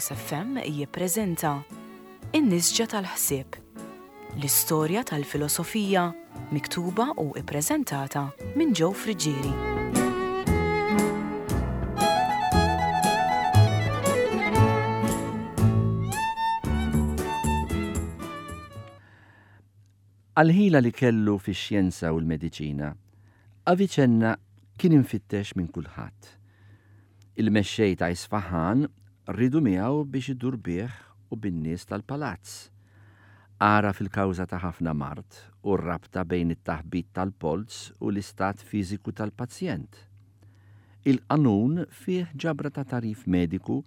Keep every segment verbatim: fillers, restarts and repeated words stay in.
Logos F M jippreżenta In-Nisġa tal-Ħsieb, l-istorja tal-filosofija miktuba u ippreżentata minn Joe Friggieri. Għal-ħila li kellu fix-xjenza u l-mediċina, Avicenna kien imfittex minn kulħadd. Il-mexxej ta' Isfahan riedu miegħu biex idur bih u bin-nies tal-palazz. Għaraf il-kawża ta' ħafna mard u r-rabta bejn it-taħbit tal-polz u l-istat fiżiku tal-pazjent. Il-Qanun fih ġabra ta' tagħrif mediku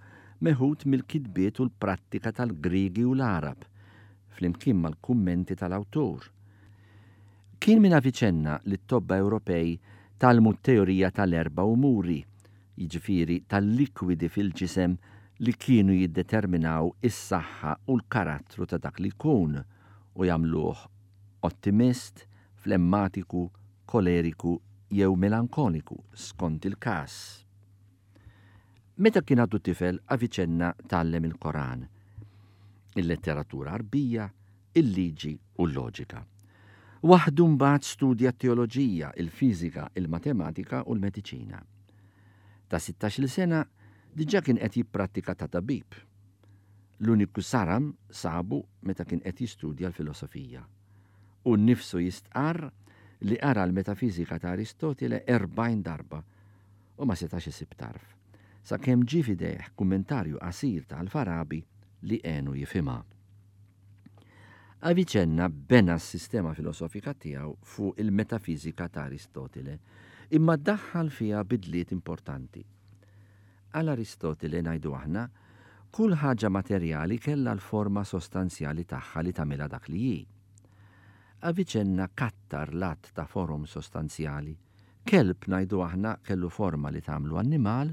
meħud mill-kitbiet u l-prattika tal-Griegi u l-Għarab, flimkien mal-kummenti tal-awtur. Kien minn Avicenna li t-tobba Ewropej tgħallmu t-teorija tal-erba' umuri, jiġifieri tal-likwidi fil-ġisem li kienu jiddeterminaw is-saħħa u l-karattru ta' dak li jkun u jagħmluh ottimist, flemmatiku, koleriku jew melankoliku skont il-każ. Meta kien għadu tifel, Avicenna tgħallem il-Koran, il-letteratura Arbija, il-liġi u l-loġika. Waħdu mbagħad studja t-teoloġija, il-fiżika, il-matematika u l-mediċina. Ta' sittax-il sena diġà kien qed jipprattika ta' tabib. L-uniku saram sabu meta kien qed jistudja l-filosofija. U nnifsu jistqarr li qara l-metafiżika ta' Aristotile erbgħin darba u ma setax isib tarf, sakemm ġie f'idejh kummentarju qasir ta' Al-Farabi li għenu jifhimha. Avicenna bena s-sistema filosofika tiegħu fuq il-metafiżika ta' Aristotile, imma daħħal fiha bidliet importanti. Għal Aristotile, ngħidu aħna, kull ħaġa materjali kellha l-forma sostanzjali tagħha li tagħmilha dak li hi. Avicenna kattar l-att ta' forom sostanzjali. Kelb, ngħidu aħna, kellu forma li tagħmlu annimal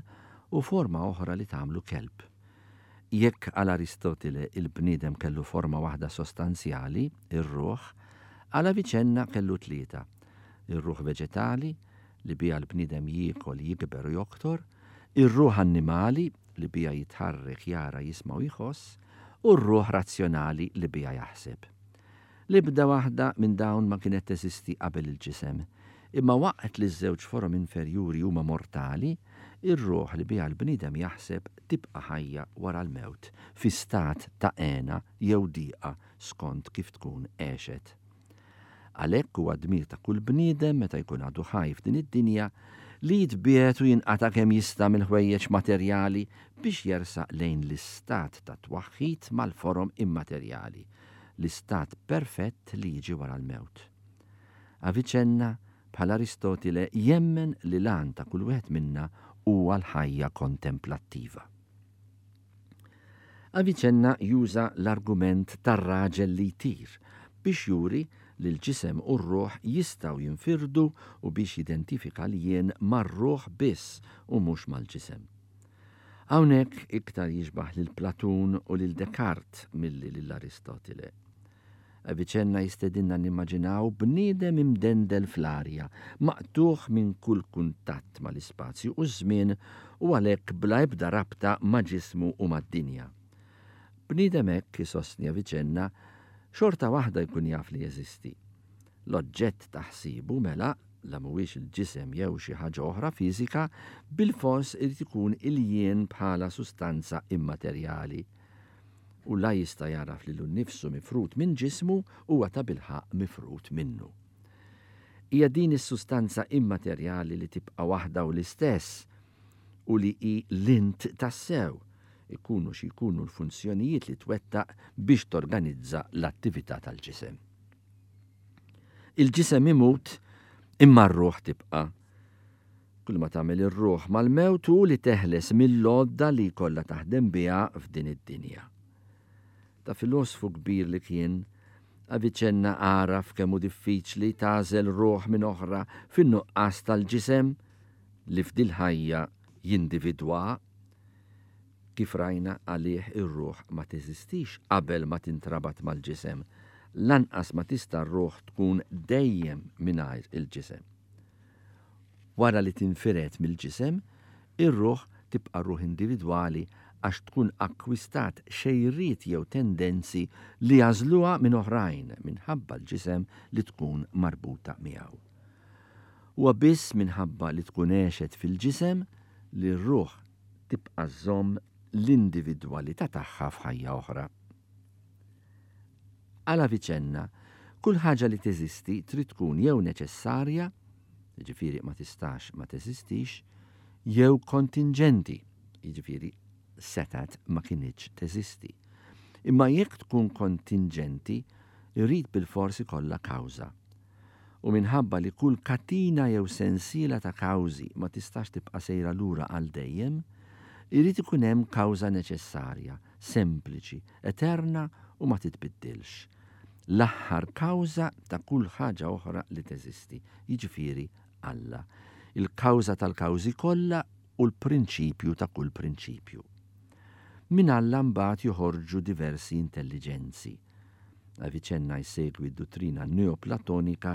u forma oħra li tagħmlu kelb. Jekk għal Aristotile il-bniedem kellu forma waħda sostanzjali, ir-ruħ, għal Avicenna kellu tlieta. Ir-ruħ veġetali, li biha l-bniedem jiekol, jikber u joktor, ir-ruħ annimali, li biha jitħarrek, jara, jisma' u jħoss, u r-ruħ razzjonali li biha jaħseb. L-ebda waħda minn dawn ma kienet teżisti qabel il-ġisem, imma waqt li ż-żewġ forom inferjuri huma mortali, ir-ruħ li biha l-bniedem jaħseb tibqa' ħajja wara l-mewt, fi stat ta' hena jew diqa skont kif tkun għexet. Għalhekk huwa dmir ta' kull bniedem meta jkun għadu ħaj f'din id-dinja li jitbiegħed u jinqata' kemm jista' mill-ħwejjeġ materjali biex jersaq lejn l-istat ta' twaħħid mal-forom immaterjali, l-istat perfett li jiġi wara l-mewt. Avicenna, bħal Aristotile, jemmen li l-għan ta' kull wieħed minna huwa l-ħajja kontemplattiva. Avicenna juża l-argument tar-raġel li jtir biex juri li l-ġisem u r-ruħ jistgħu jinfirdu u biex jidentifika l-jien mar-ruħ biss u mhux mal-ġisem. Hawnhekk iktar jixbaħ lil Platun u lil Descartes milli lil Aristotile. Avicenna jistedinna nimmaġinaw bniedem imdendel fl-arja, maqtuħ minn kull kuntatt mal-ispazju u ż-żmien u għalhekk bla ebda rabta ma' ġismu u mad-dinja. Bniedem hekk, isostni Avicenna, xorta waħda jkun jaf li jeżisti. L-oġġett ta' ħsiebu mela, la mhuwiex il-ġisem jew xi ħaġa oħra fiżika, bil-fors irid ikun il-jien bħala sustanza immaterjali. U la jista' jaraf lilu nnifsu mifrut minn ġismu huwa ta' bilħaq mifrut minnu. Hija din is-sustanza immaterjali li tibqa' waħda u l-istess u li hi l-int tassew, ikunu xi jkunu l-funzjonijiet li twettaq biex torganizza l-attività tal-ġisem. Il-ġisem imut imma r-ruħ tibqa'. Kull ma tagħmel ir-ruħ mal-mewt hu li teħles mill-għodda li jkollha taħdem biha f'din id-dinja. Ta' filosfu kbir li kien, Avicenna għaraf kemm hu diffiċli tagħżel ruħ minn oħra fin-nuqqas tal-ġisem li f'dil-ħajja jindividwa. Kif rajna, għalih ir-ruħ ma teżistix qabel ma tintrabat mal-ġisem, lanqas ma tista' r-ruħ tkun dejjem mingħajr il-ġisem. Wara li tinfired mill-ġisem, ir-ruħ tibqa' ruħ individwali għax tkun akkwistat xejriet jew tendenzi li jagħżluha minn oħrajn minħabba l-ġisem li tkun marbuta miegħu. Huwa biss minħabba li tkun għexet fil-ġisem li r-ruħ tibqa' żżomm l-individwalità tagħha f'ħajja oħra. Għal Aviċenna, kull ħaġa li teżisti trid tkun jew neċessarja, jiġifieri ma tistax ma teżistix, jew kontinġenti, jiġifieri setgħet ma kinitx teżisti. Imma jekk tkun kontinġenti, irid bilfors ikollha kawża. U minħabba li kull katina jew sensiela ta' kawżi ma tistax tibqa' sejra lura għal dejjem, irid ikun hemm kawża neċessarja, sempliċi, eterna u ma titbiddilx. L-aħħar kawża ta' kull ħaġa oħra li teżisti, jiġifieri Alla, il-kawża tal-kawżi kollha u l-prinċipju ta' kull prinċipju. Minn Alla mbagħad joħorġu diversi intelliġenzi. Avicenna jsegwi d-duttrina neoplatonika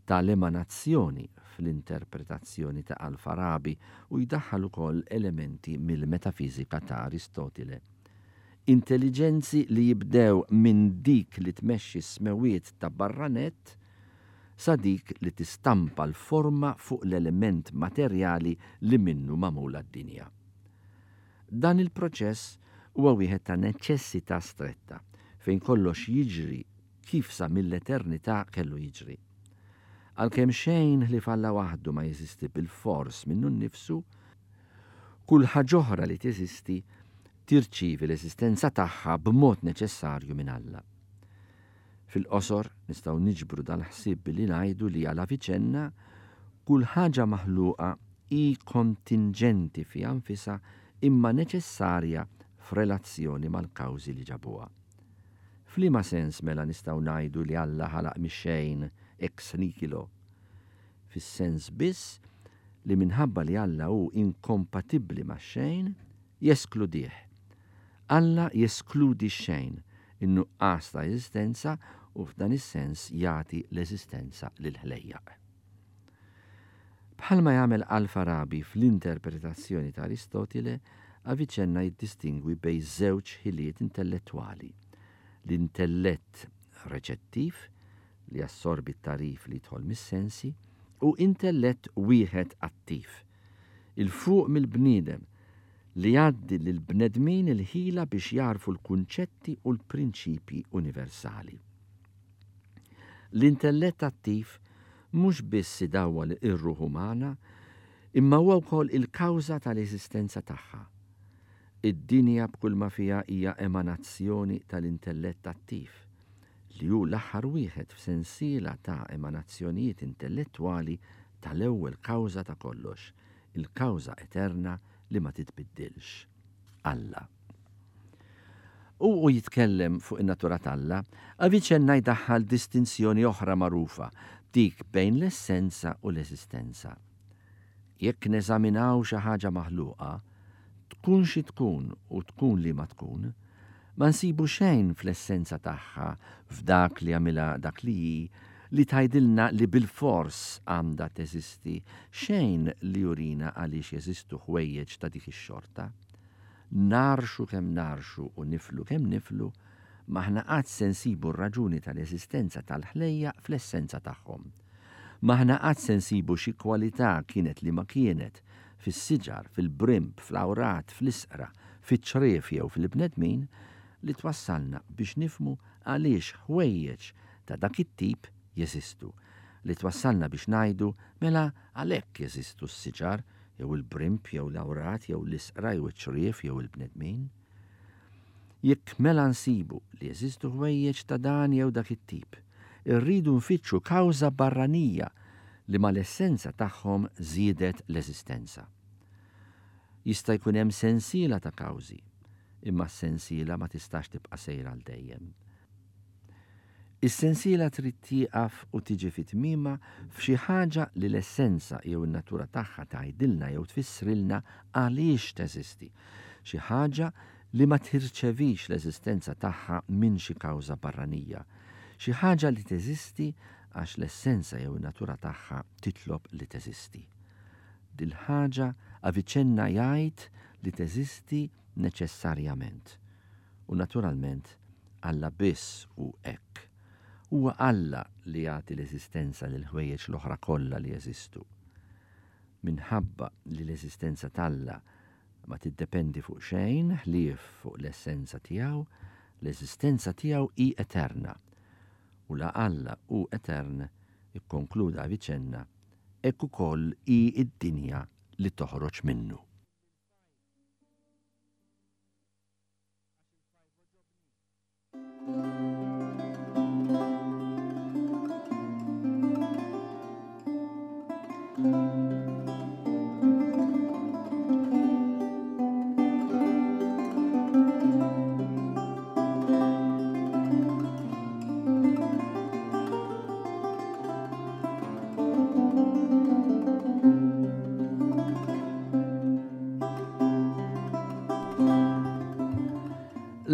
tal-emanazzjoni fl-interpretazzjoni ta' Al-Farabi u jdaħħal ukoll elementi mill-metafiżika ta' Aristotile. Intelliġenzi li jibdew minn dik li tmexxi s-smewiet ta' barranet sa dik li tistampa l-forma fuq l-element materjali li minnu magħmula d-dinja. Dan il-proċess huwa wieħed ta' neċessità stretta, fejn kollox jiġri kif sa mill-eternità kellu jiġri. Għalkemm xejn ħlief Alla waħdu ma jeżisti bilfors minnu nnifsu, kull ħaġa oħra li teżisti tirċievi l-eżistenza tagħha b'mod neċessarju minn Alla. Fil-qosor nistgħu niġbru dal-ħsieb billi ngħidu li għal Avicenna kull ħaġa maħluqa hi kontinġenti fiha nfisha imma neċessarja f'relazzjoni mal-kawżi li ġabuha. F'liema sens mela nistgħu ngħidu li Alla ħalaq mix-xejn ex nihilo? Fis-sens biss li minħabba li Alla hu inkompatibbli max-xejn, jeskludih. Alla jeskludi x-xejn, in-nuqqas ta' eżistenza u f'dan is-sens jagħti l-eżistenza lill-ħlejjaq. Bħalma jagħmel Al-Farabi fl-interpretazzjoni ta' Aristotile, Avicenna jiddistingwi bejn żewġ ħiliet intellettwali. L-intellett reċettiv, li jassorbi t-tagħrif li jidħol mis-sensi, u intellett wieħed attiv, il-fuq mill-bniedem, li jgħaddi lill-bnedmin il-ħila biex jarfu l-kunċetti u l-prinċipji universali. L-intellett attiv mhux biss idawwal ir-ruħ umana, imma huwa wkoll il-kawża tal-eżistenza tagħha. Id-dinja b'kull ma fiha hija emanazzjoni tal-intellett attiv, li hu l-aħħar wieħed f'sensiela ta' emanazzjonijiet intellettwali tal-ewwel kawża ta' kollox, il-kawża eterna li ma titbiddilx, Alla. U u jitkellem fuq in-natura t'Alla, Avicenna jdaħħal distinzjoni oħra magħrufa, dik bejn l-essenza u l-eżistenza. Jekk neżaminaw xi ħaġa maħluqa, tkun xi tkun u tkun li ma tkun, ma nsibu xejn fl-essenza tagħha, f'dak li għamilha dak li hi, li tgħidilna li bilfors għandha teżisti, xejn li jurina għaliex jeżistu ħwejjeġ ta' dik ix-xorta. Narxu kemm narxu u niflu kemm niflu, m'aħna qatt se nsibu r-raġuni tal-eżistenza tal-ħlejja fl-essenza tagħhom. M'aħna qatt se nsibu xi kwalità kienet li ma kienet fis-siġar, fil-brimb, fl-awrat, fl-isqra, fiċ-ċriev jew fil-bnedmin li twassalna biex nifmu għaliex ħwejjeġ ta' dak it-tip jeżistu, li twassalna biex ngħidu mela għalhekk jeżistu s-siġar jew il-brimb jew l-awrat jew l-isqra jew iċ-ċriev jew il-bnedmin. Jekk mela nsibu li jeżistu ħwejjeġ ta' dan jew dak it-tip, irridu nfittxu kawża barranija li mal-essenza tagħhom żiedet l-eżistenza. Jista' jkun hemm sensiela ta' kawżi, imma s-sensiela ma tistax tibqa' sejra għal dejjem. Is-sensiela trid tieqaf u tiġi fi tmiemha f'xi ħaġa li l-essenza jew in-natura tagħha tgħidilna jew tfissrilna għaliex teżisti, xi ħaġa li ma tirċevix l-eżistenza tagħha minn xi kawża barranija, xi ħaġa li teżisti għax l-essenza jew in-natura tagħha titlob li teżisti. Dil-ħaġa Avicenna jgħid li teżisti neċessarjament. U naturalment, Alla biss hu hekk. Huwa Alla li jagħti l-eżistenza lil ħwejjeġ l-oħra kollha li jeżistu. Minħabba li l-eżistenza t'Alla ma tiddependi fuq xejn ħlief fuq l-essenza tiegħu, l-eżistenza tiegħu hi eterna. U la Alla hu etern, ikkonkluda Avicenna, hekk ukoll hi d-dinja li toħroġ minnu.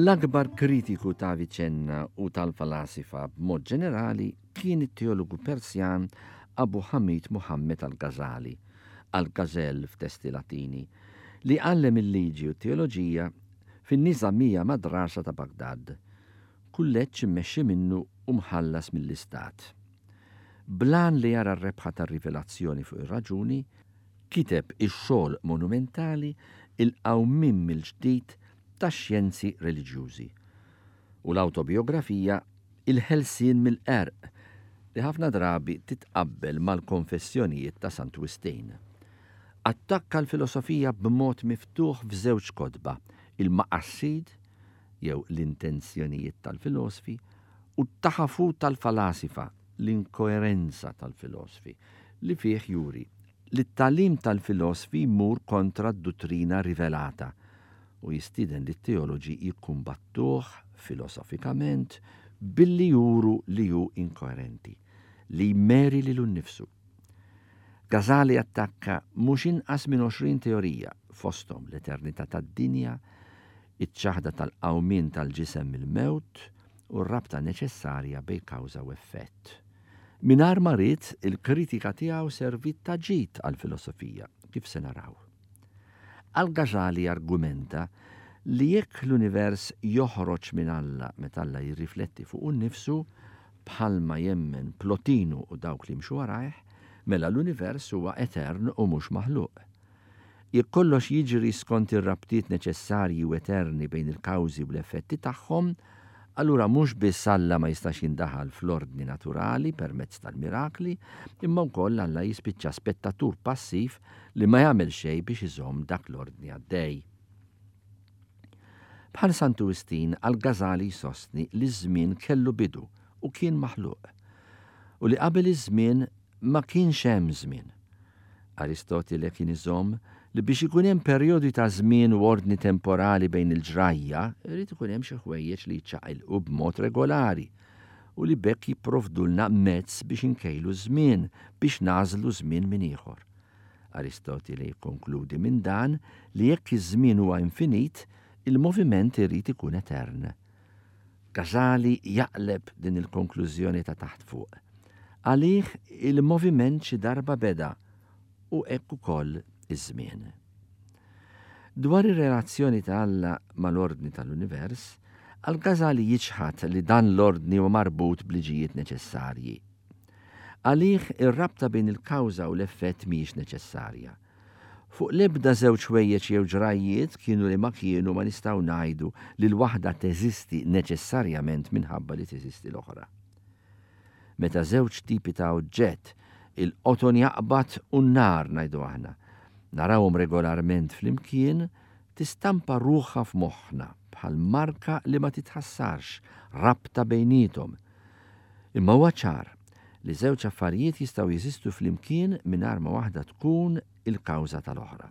L-akbar kritiku ta' Avicenna u tal-falasifa b'mod ġenerali kien it-teologu Persjan Abu Hamid Muhammad al-Ghazali, al-Ghazel f'testi Latini, li għallem il-liġi u t-teoloġija fin-Nizamija Madrasa ta' Baghdad, kulleġġ immexxi minnu u mħallas mill-Istat. Blan li jara r-rebħa tar-rivelazzjoni fuq ir-raġuni, kiteb ix-xogħol monumentali Il-Qawmien mill-Ġdid tax-xjenzi reliġjużi u l-awtobiografija Il-Ħelsien mill-Qerq li ħafna drabi titqabbel mal-konfessjonijiet ta' Sant Wistin. Attakka l-filosofija b'mod miftuħ f'żewġ kotba, il-Maqassid jew l-intenzjonijiet tal-filosfi u t-Taħafut tal-Falasifa, l-inkoerenza tal-filosfi, li fih juri li t-tagħlim tal-filosfi jmur kontra d-duttrina rivelata u jistieden li t-teoloġi jikkumbattuh filosofikament billi juru li hu inkoerenti, li jmeri lilu nnifsu. Ghazali attakka mhux inqas minn għoxrin teorija, fosthom l-eternità tad-dinja, iċ-ċaħda tal-qawmien tal-ġisem mill-mewt u r-rabta neċessarja bejn kawża u effett. Mingħajr ma ried, il-kritika tiegħu serviet ta' ġid għall-filosofija, kif se naraw. Al-Ghazali argumenta li jekk l-univers joħroġ minn Alla meta Alla jirrifletti fuq nnifsu, bħalma jemmen Plotinu u dawk li mxu warajh, mela l-univers huwa etern u mhux maħluq. Jekk kollox jiġri skont ir-rabtiet neċessarji u eterni bejn il-kawżi u l-effetti tagħhom, allura mhux biss Alla ma jistax jindaħal fl-ordni naturali permezz tal-mirakli, imma wkoll Alla jispiċċa spettatur passiv li ma jagħmel xejn biex iżomm dak l-ordni għaddej. Bħal Santu Wistin, Al-Ghazali jsostni li ż-żmien kellu bidu u kien maħluq, u li qabel iż-żmien ma kienx hemm żmien. Aristotile kien iżomm li biex ikun hemm perjodi ta' żmien u ordni temporali bejn il-ġrajja, irid ikun hemm xi ħwejjeġ li jiċċaqilqu b'mod regolari u li bekk jipprovdulna mezz biex inkejlu żmien, biex nagħżlu żmien minn ieħor. Aristotile jikkonkludi minn dan li jekk iż-żmien huwa infinit, il-moviment irid ikun etern. Ghazali jaqleb din il-konklużjoni ta' taħt fuq. Għalih il-moviment xi darba beda u hekk ukoll iż-żmien. Dwar ir-relazzjoni ta' Alla mal-ordni tal-univers, Al-Ghazali jiċħad li dan l-ordni huwa marbut b'liġijiet neċessarji. Għalih ir-rabta bejn il-kawża u l-effett mhijiex neċessarja. Fuq l-ebda żewġ ħwejjeġ jew ġrajjiet kienu li ma kienu ma nistgħu ngħidu li l-waħda teżisti neċessarjament minħabba li teżisti l-oħra. Meta żewġ tipi ta' oġġett, il-qoton jaqbad u n-nar ngħidu aħna, narawhom regolarment flimkien, tistampa ruħha f'moħħna bħal marka li ma titħassarx, rabta bejniethom. Imma huwa ċar li żewġ affarijiet jistgħu jeżistu flimkien mingħajr ma waħda tkun il-kawża tal-oħra.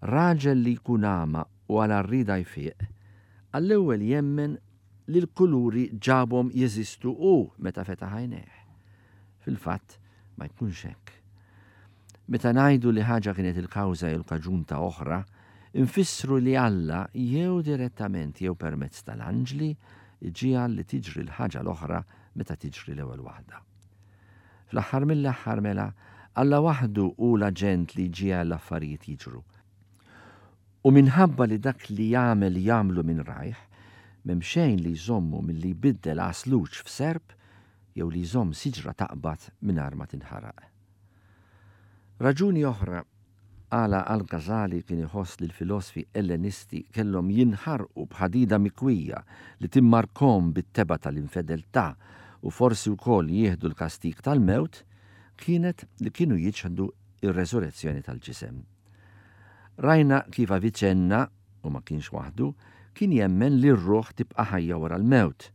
Raġel li jkun għama u għal rida jfiq, għall-ewwel jemmen li l-kuluri ġabhom jeżistu hu meta fetaħ għajnejh. Fil-fatt ma jkunx hekk. Meta ngħidu li ħaġa kienet il-kawża jew l-kaġun ta' oħra, infissru li Alla jew direttament jew permezz tal-anġli iġiegħel li tiġri l-ħaġa l-oħra meta tiġri l-ewwel waħda. Fl-aħħar mill-aħħar mela, Alla waħdu hu l-aġent li jġiegħel l-affarijiet jiġru. U minħabba li dak li jagħmel jagħmlu minn rajh, m'hemm xejn li jżommu milli jbiddel għasluġ f'serp jew li jżomm siġra taqbad mingħajr ma tinħaraq. Raġuni oħra għala Al-Ghazali kien iħoss li l-filosfi Ellenisti kellhom jinħarqu b'ħadida mikwija li timmarkhom bit-tebgħa tal-infedeltà u forsi wkoll jieħdu l-kastig tal-mewt kienet li kienu jiċħdu ir-resurrezzjoni tal-ġisem. Rajna kif Avicenna, u ma kienx waħdu, kien jemmen li r-ruħ tibqa' ħajja wara l-mewt,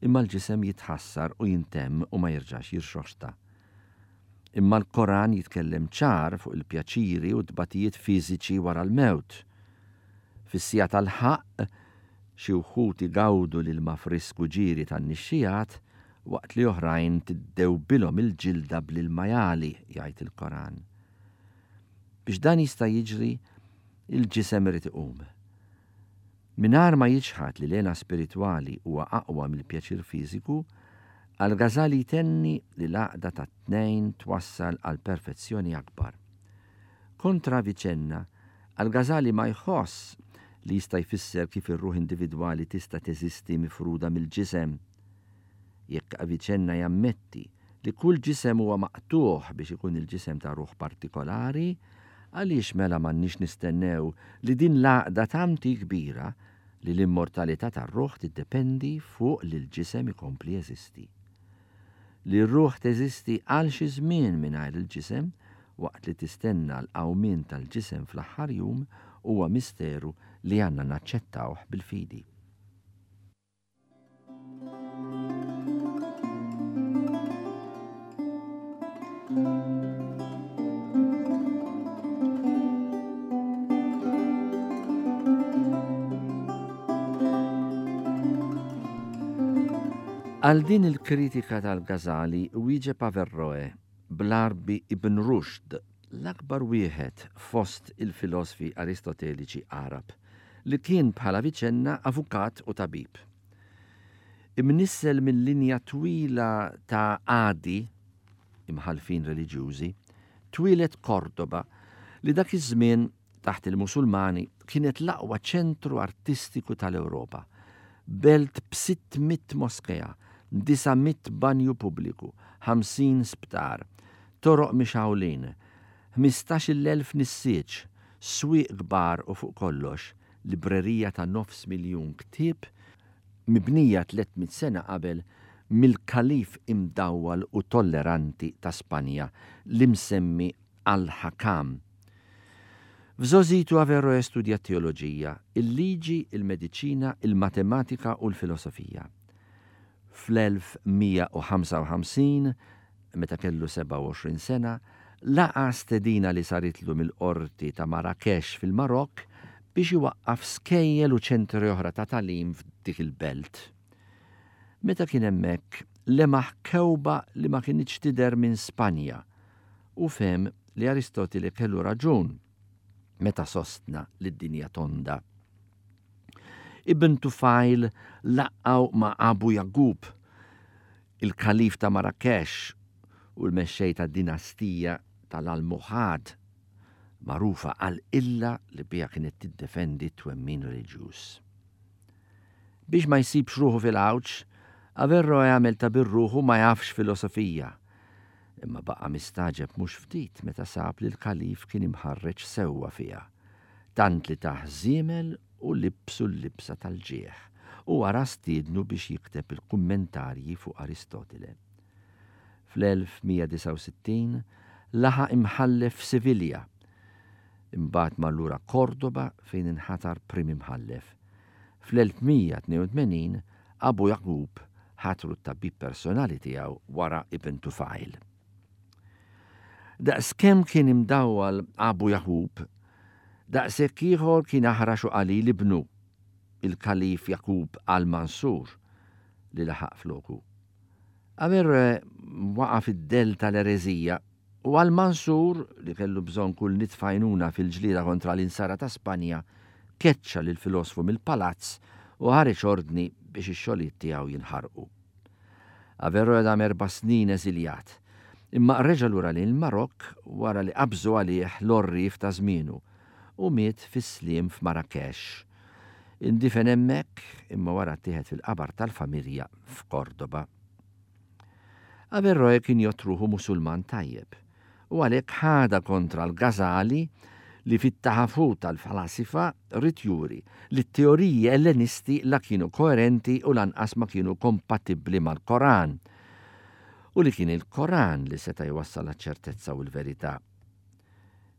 imma l-ġisem jitħassar u jintemm u ma jerġax jirxoxta. Imma l-Koran jitkellem ċar fuq il-pjaċiri u t-tbatijiet fiżiċi wara l-mewt. Fis-siegħa tal-ħaqq, xi wħud igawdu l-ilma frisku ġieri tan-nixxijat waqt li oħrajn tiddewbilhom il-ġilda bl-ilma jagħli, jgħid il-Koran. Biex dan jista' jiġri, il-ġisem irid iqum. Mingħajr ma jiċħad li l-hena spiritwali huwa aqwa mill-pjaċir fiżiku, Al-Ghazali jtenni li l-għaqda tat-tnejn twassal għal perfezzjoni akbar. Kontra Avicenna, Al-Ghazali ma jħoss li jista' jfisser kif ir-ruħ individwali tista' teżisti mifruda mill-ġisem. Jekk Avicenna jammetti li kull ġisem huwa maqtuħ biex ikun il-ġisem ta' ruħ partikolari, għaliex mela m'għandniex nistennew li din l-għaqda tant hi kbira li l-immortalità tar-ruħ tiddependi fuq li l-ġisem ikompli jeżisti. Li r-ruħ teżisti għal xi żmien mingħajr il-ġisem waqt li tistenna l-qawmien tal-ġisem fl-aħħar jum huwa misteru li għandna naċċettawh bil-fidi. Għal din il-kritika tal-Ghazali wieġeb Averroe bl-Għarbi Ibn Rushd, l-akbar wieħed fost il-filosfi aristoteliċi Għarab, li kien bħala Avicenna avukat u tabib. Imnissel minn linja twila ta' għadi, imħalfin reliġjużi, twieled Kordoba li dak iż-żmien taħt il-Musulmani kienet l-aqwa ċentru artistiku tal-Ewropa. Belt b'sitt mitt moskea, disa' mitt banju pubbliku, ħamsin sptar, toroq mixgħulin, ħmistax-il elf nissieġ, swieq kbar u fuq kollox librerija ta' nofs miljun ktieb mibnija tliet mitt sena qabel mill-kalif imdawwal u tolleranti ta' Spanja l-imsemmi Al-Hakam. F'żgħożitu Averroe studja teoloġija, il-liġi, il-mediċina, il-matematika u l-filosofija. Fl-elf mija u ħamsa u ħamsin, meta kellu sebgħa u għoxrin sena, laqa stedina li saritlu mill-qorti ta' Marrakesh fil-Marokk biex iwaqqaf skejjel u ċentri oħra ta' tagħlim f'dik il-belt. Meta kien hemmhekk, lemaħ kewba li ma kinitx tidher minn Spanja u fehem li Aristotile kellu raġun meta sostna li d-dinja tonda. Ibn Tufajl laqgħu ma' Abu Yaqub, il-kalif ta' Marrakesh u l-mexxej ta' dinastija tal-Almohad, magħrufa għal illa li biha kienet tiddefendi t-twemmin reliġjuż. Biex ma jsibx ruħu fil-għawġ, Averroe għamel ta' birruħu ma jafx filosofija. Imma baqa' mistaġeb mhux ftit meta sab li l-kalif kien imħarreġ sewwa fiha, tant li tah żiemel u libsu l-libsa tal-ġieħ u wara stiednu biex jikteb il-kummentarji fuq Aristotile. Fl-elf mija disgħa u sittin laħaq imħallef f'Sivilja, imbagħad mar lura Kordoba fejn inħatar prim imħallef. Fl-elf mija tnejn u tmenin Abu Yaqub ħatru t-tabib personali tiegħu wara Ibn Tufajl. Daqskemm kien imdawwal Abu Yaqub, daqshekk ieħor kien aħrax u qalil ibnu, il-Kalif Yaqub al-Mansur, li laħaq floku. Averroe waqa' fid-del tal-ereżija u al-Mansur, li kellu bżonn kull nitfajnuna fil-ġlieda kontra l-insara ta' Spanja, keċċa lil filosfu mill-palazz u ħareġ ordni biex ix-xogħlijiet tiegħu jinħarqu. Averroe dam erba' snin eżiljat, imma reġa' lura lejn il-Marokk wara li qabżu għalih l-orrif ta' żmienu u miet fis-sliem f'Marrakesh. Indifen hemmhekk imma wara ttieħed fil-qabar tal-familja f'Kordoba. Averroe kien jgħodd ruħu Musulman tajjeb u għalhekk ħadha kontra l-Ghazali li fit-Taħafut tal-Falasifa ried juri li t-teoriji Ellenisti la kienu koerenti u lanqas ma kienu kompatibbli mal-Koran u li kien il-Koran li seta' jwassal ċertezza u l-verità.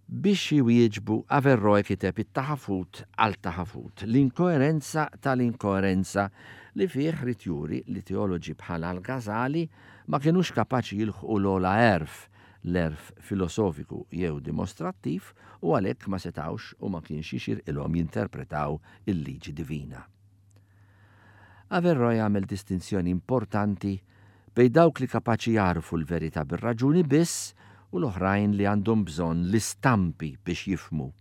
Biex jwieġbu, Averroe kiteb it-Taħafut għal Taħafut, l-inkoerenza tal-inkoerenza li fih ried juri li teoloġi bħal al-Ghazali ma kienux kapaċi jilħqu l-ogħla għerf, l-għerf filosofiku jew dimostrattiv u għalhekk ma setawx u ma kienx jixirqilhom jinterpretaw il-liġi divina. Averroe għamel distinzjoni importanti bejn dawk li kapaċi jagħrfu l-verità bir-raġuni biss u l-oħrajn li għandhom bżonn l-istampi biex jifhmu.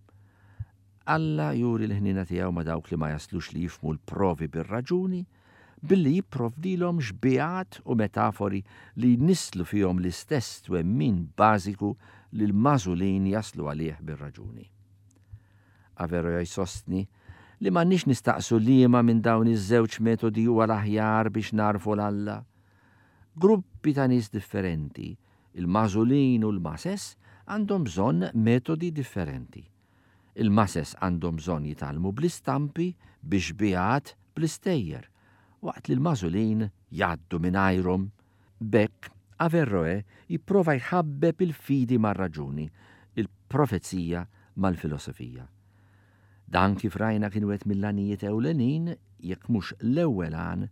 Alla juri l-ħnina tiegħu ma' dawk li ma jaslux li jifhmu l-provi bir-raġuni billi jipprovdilhom xbihat u metafori li jnisslu fihom l-istess twemmin bażiku li l-magħżulin jaslu għalih bir-raġuni. Averroe jsostni li m'għandniex nistaqsu liema minn dawn iż-żewġ metodi huwa l-aħjar biex nagħrfu 'l Alla. Gruppi ta' nies differenti, il-magħżulin u l-mases, għandhom bżonn metodi differenti. Il-mases għandhom bżonn jitgħallmu bl-istampi, bix-xbihat, bl-istejjer, waqt li l-magħżulin jgħaddu mingħajrhom. B'hekk, Averroe jipprova jħabbeb il-fidi mar-raġuni, il-profezija mal-filosofija. Dan kif rajna kien wieħed mill-għanijiet ewlenin, jekk mhux l-ewwel għan,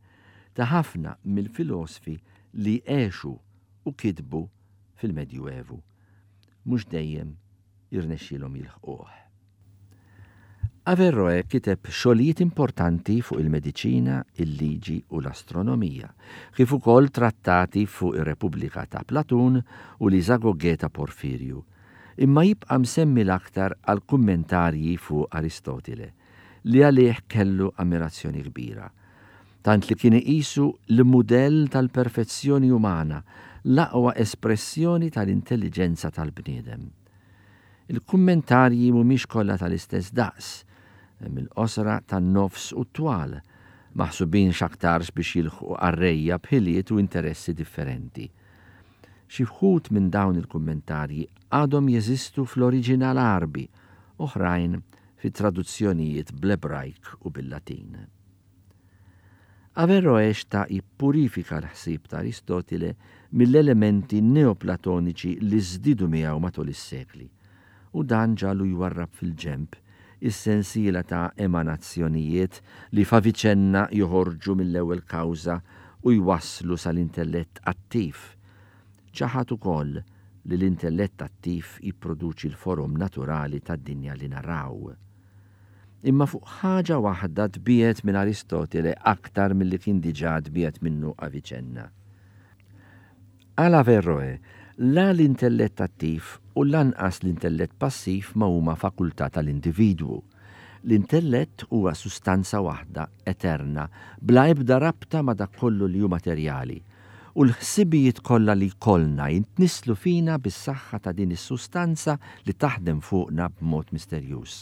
ta' ħafna mill-filosfi li għexu u kitbu fil-Medjuevu. Mhux dejjem irnexxielhom jilħquh. Averroe kiteb xogħlijiet importanti fuq il-mediċina, il-liġi u l-astronomija, kif ukoll trattati fuq ir-Repubblika ta' Platun u l-Isagoge ta' Porfirju, imma jibqa' msemmi l-aktar għal kummentarji fuq Aristotile, li għalih kellu ammirazzjoni kbira, tant li kien iqisu l-mudell tal-perfezzjoni umana, l-aqwa espressjoni tal-intelligenza tal-bniedem. Il-kummentarji mhumiex kollha tal-istess daqs, hemm il-qosra tan-nofs u t-twal, maħsubin x'aktarx biex jilħqu qarrejja b'ħiliet u interessi differenti. Xi wħud minn dawn il-kummentarji għadhom jeżistu fl-oriġinal Għarbi, oħrajn fi traduzzjonijiet bl-Ebrajk u bil-Latin. Averroe xtaq jippurifika l-ħsieb ta' Aristotile mill-elementi neoplatoniċi li żdiedu miegħu matul is-sekli, u dan ġagħlu jwarrab fil-ġenb is-sensiela ta' emanazzjonijiet li f'Avicenna joħorġu mill-ewwel kawża u jwasslu sal-intellett attiv. Ċaħad ukoll li l-intellett attiv jipproduċi l-forom naturali tad-dinja li naraw. Imma fuq ħaġa waħda tbiegħed minn Aristotile aktar milli kien diġà tbiegħed minnu Avicenna. Għal Averroe, la l-intellett attiv u lanqas l-intellett passiv ma huma fakultà tal-individwu. L-intellett huwa sustanza waħda eterna, bla ebda rabta ma dak kollu li hu materjali. U l-ħsibijiet kollha li jkollna jintnisslu fina bis-saħħa ta' din is-sustanza li taħdem fuqna b'mod misterjuż.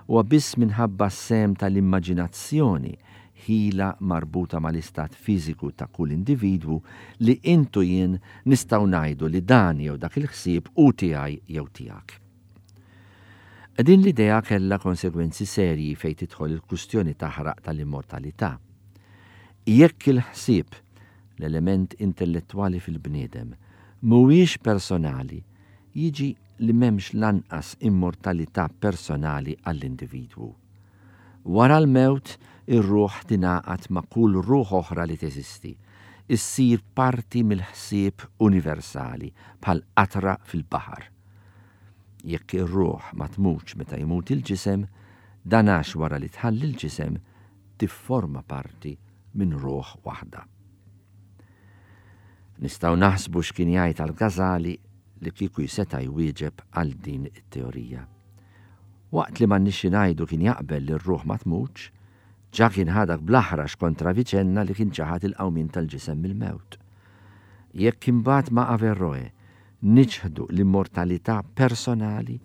Huwa biss minħabba s-sehem tal-immaġinazzjoni, ħila marbuta mal-istat fiżiku ta' kull individwu, li int u jien nistgħu ngħidu li dan jew dak il-ħsieb hu tiegħi jew tiegħek. Din l-idea kellha konsegwenzi serji fejn tidħol il-kustjoni taħraq tal-immortalità. Jekk il-ħsieb, l-element intellettwali fil-bniedem, mhuwiex personali, jiġi li m'hemmx lanqas immortalità personali għall-individwu. Wara l-mewt, ir-ruħ tingħaqad ma' kull ruħ oħra li teżisti, issir parti mill-ħsieb universali bħal qatra fil-baħar. Jekk ir-ruħ ma tmutx meta jmut il-ġisem, dan għax wara li tħalli l-ġisem tifforma parti minn ruħ waħda. Nistgħu naħsbu x'kien jgħid għal-Ghazali li kieku seta' jwieġeb għal din it-teorija. Waqt li m'għandniex ngħidu kien jaqbel li r-ruħ ma tmutx, ġa kien ħadak bl-aħrax kontra Avicenna li kien ċaħad il-qawmien tal-ġisem mill-mewt. Jekk imbagħad ma' Averroe niċħdu l-immortalità personali,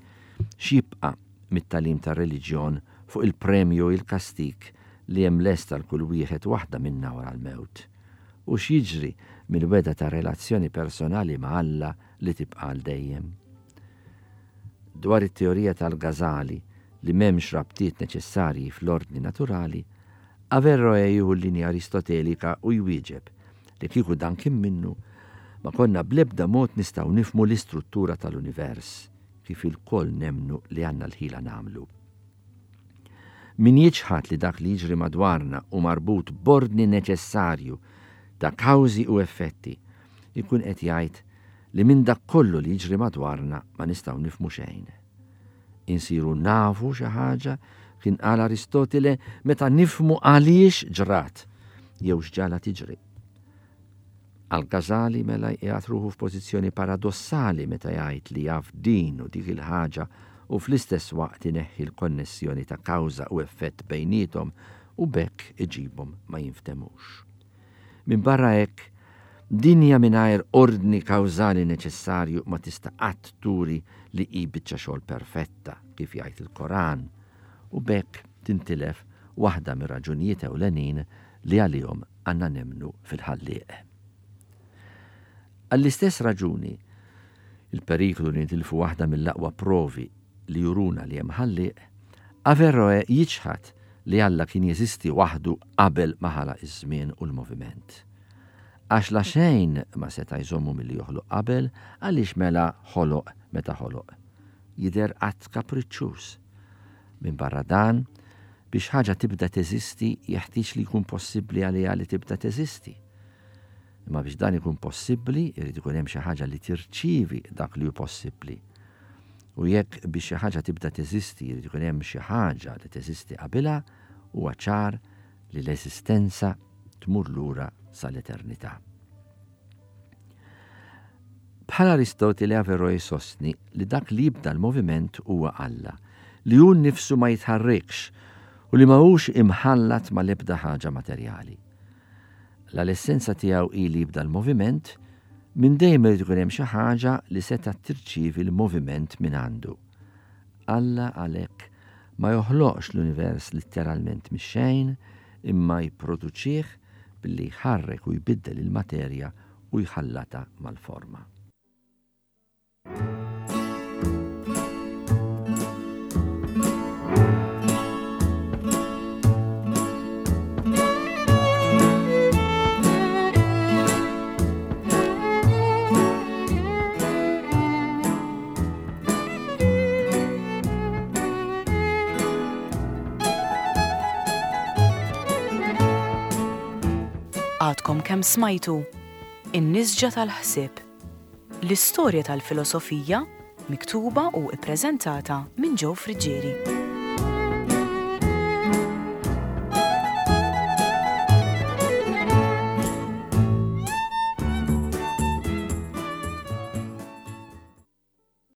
x'jibqa' mit-tagħlim tar-reliġjon fuq il-premju u l-kastig li hemm lest għal kull wieħed waħda minna wara l-mewt? U x'jiġri mill-wegħda ta' relazzjoni personali ma' Alla li tibqa' għal dejjem? Dwar it-teorija tal-Ghazali li m'hemmx rabtiet neċessarji fl-ordni naturali, Averroè jieħu l-linja Aristotelika u jwieġeb li kieku dan kien minnu ma konna bl-ebda mod nistgħu nifhmu l-istruttura tal-univers kif ilkoll nemmnu li għandna l-ħila nagħmlu. Min jiċħad li dak li jiġri madwarna hu marbut b'ordni neċessarju ta' kawżi u effetti, ikun qed jgħid li minn dak kollu li jiġri madwarna ma nistgħu nifhmu xejn. Insiru nafu xi ħaġa, kien qal Aristotile, meta nifhmu għaliex ġrat jew x'ġala tiġri. Al-Ghazali mela jqiegħed ruħu f'pożizzjoni paradossali meta jgħid li jaf din u dik il-ħaġa u fl-istess waqt ineħħi l-konnessjoni ta' kawża u effett bejniethom u b'hekk iġibhom ma jinftemux. Minbarra hekk, dinja mingħajr ordni kawżali neċessarju ma tista' qatt turi li hi biċċa xogħol perfetta, kif jgħid il-Koran, u b'hekk tintilef waħda mir-raġunijiet ewlenin li għalihom għandna nemmnu fil-Ħallieq. Għall-istess raġuni, il-periklu li nitilfu waħda mill-aqwa provi li juruna li hemm Ħallieq, Averroè jiċħad li Alla kien jeżisti waħdu qabel ma ħalaq iż-żmien u l-moviment. Għax la xejn ma seta' jżommu milli joħloq qabel, għaliex mela ħoloq meta ħoloq. Jidher att kapriċċuż. Minn barra dan, biex ħaġa tibda teżisti jeħtieġ li jkun possibbli għaliha li tibda teżisti. Imma biex dan ikun possibbli, irid ikun hemm xi ħaġa li tirċievi dak li hu possibbli. U jekk biex xi ħaġa tibda teżisti, irid ikun hemm xi ħaġa li teżisti qabilha, huwa ċar li l-eżistenza tmur lura sal-eternità. Bħal Aristotile Averroè jsostni li dak li jibda l-moviment huwa Alla, li hu nnifsu ma jitħarrikx u li ma hux imħallat ma l-ebda ħaġa materjali. La l-essenza tiegħu hi li jibda l-moviment, minn dejjem irid ikun hemm xi ħaġa li seta' tirċievi l-moviment minn għandu. Alla għalhekk ma joħloqx l-univers letteralment mix-xejn, imma jipproduċih billi jħarrek u jbiddel il-materja u jħallata mal-forma. Għadkom kemm smajtu In-Nisġa tal-Ħsieb, l-istorja tal-filosofija miktuba u ippreżentata minn Joe Friggieri.